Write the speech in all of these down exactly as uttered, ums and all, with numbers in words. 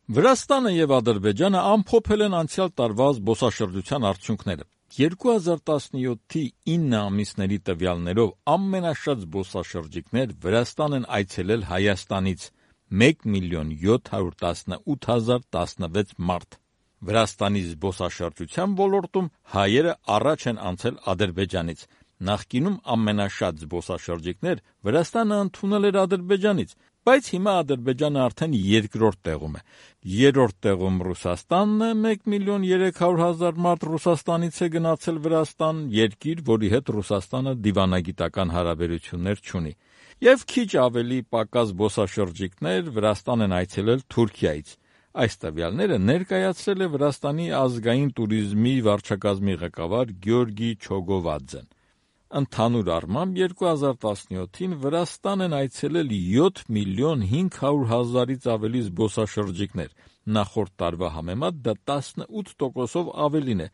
Վրաստանը եւ Ադրբեջանը ամփոփել են անցյալ տարվա զբոսաշրջության արդյունքները։ երկու հազար տասնյոթի ինը ամիսների տվյալներով ամենաշատ զբոսաշրջիկներ Վրաստան են այցելել Հայաստանից՝ մեկ միլիոն յոթ հարյուր տասնութ հազար տասնվեց մարդ։ Վրաստանի զբոսաշրջության ոլորտում հայերը առաջ են անցել Ադրբեջանից։ Նախկինում ամենաշատ զբոսաշրջիկներ Վրաստանը ընդունել էր Ադրբեջանից, բայց հիմա Ադրբեջանը արդեն երկրորդ տեղում է։ Երրորդ տեղում Ռուսաստանն է, մեկ միլիոն երեք հարյուր հազար մարդ Ռուսաստանից է գնացել Վրաստան, երկիր, որի հետ Ռուսաստանը դիվանագիտական հարաբերություններ չունի։ Եվ քիչ ավելի պակաս զբոսաշրջիկներ Վրաստան են այցելել Թուրքիայից։ Այս տվյալները ներկայացրել է Վրաստանի ազգային տուրիզմի վարչակազմի ղեկավար Գյորգի Չոգովադզեն։ Ընդհանուր առմամբ երկու հազար տասնյոթին Վրաստան են այցելել յոթ միլիոն հինգ հարյուր հազարից ավելի զբոսաշրջիկներ, նախորդ տարվա համեմատ դա տասնութ տոկոսով ավելին է,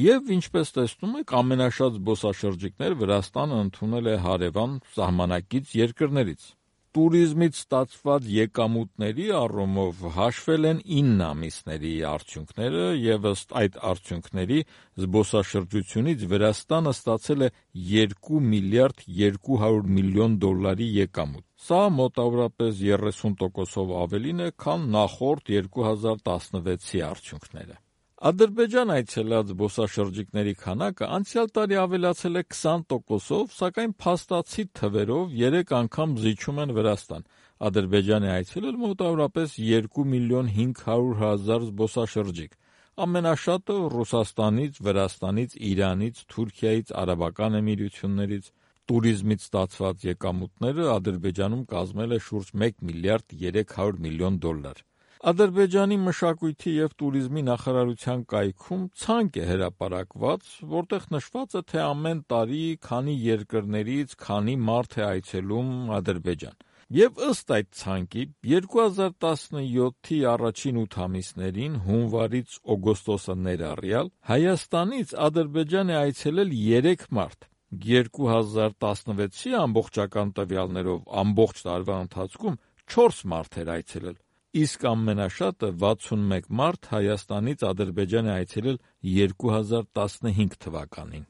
եւ ինչպես տեսնում եք, ամենաշատ զբոսաշրջիկներ Վրաստանը ընդունել է հարևան սահմանակից երկրներից։ Տուրիզմից ստացված եկամուտների առումով հաշվել են ինը ամիսների արդյունքները եւ ըստ այդ արդյունքների զբոսաշրջությունից Վրաստանը ստացել է երկու միլիարդ երկու հարյուր միլիոն դոլարի եկամուտ։ Սա մոտավորապես երեսուն տոկոսով ավելին է, քան նախորդ երկու հազար տասնվեցի արդյունքները։ Ադրբեջան այցելած զբոսաշրջիկների քանակը անցյալ տարի ավելացել է քսան տոկոսով, սակայն փաստացի թվերով երեք անգամ զիջում են Վրաստան։ Ադրբեջան է այցելել մոտավորապես երկու միլիոն հինգ հարյուր հազար զբոսաշրջիկ։ Ամենաշատը Ռուսաստանից, Վրաստանից, Իրանից, Թուրքիայից, Արաբական Էմիրություններից։ Տուրիզմից ստացված եկամուտները Ադրբեջանում կազմել է շուրջ մեկ միլիարդ երեք հարյուր միլիոն դոլար։ Ադրբեջանի մշակույթի եւ տուրիզմի նախարարության կայքում ցանկ է հրապարակված, որտեղ նշված է, թե ամեն տարի քանի երկրներից քանի մարդ է այցելում Ադրբեջան։ Եվ ըստ այդ ցանկի երկու հազար տասնյոթի առաջին ութ ամիսներին հունվարից օգոստոսը ներառյալ Հայաստանից Ադրբեջան է այցելել երեք մարդ։ երկու հազար տասնվեցի ամբողջական տվյալներով ամբողջ տարվա ընթացքում չորս մարդ էր այցելել, իսկ ամենաշատը վաթսունմեկ մարդ Հայաստանից Ադրբեջան է այցելել երկու հազար տասնհինգ թվականին։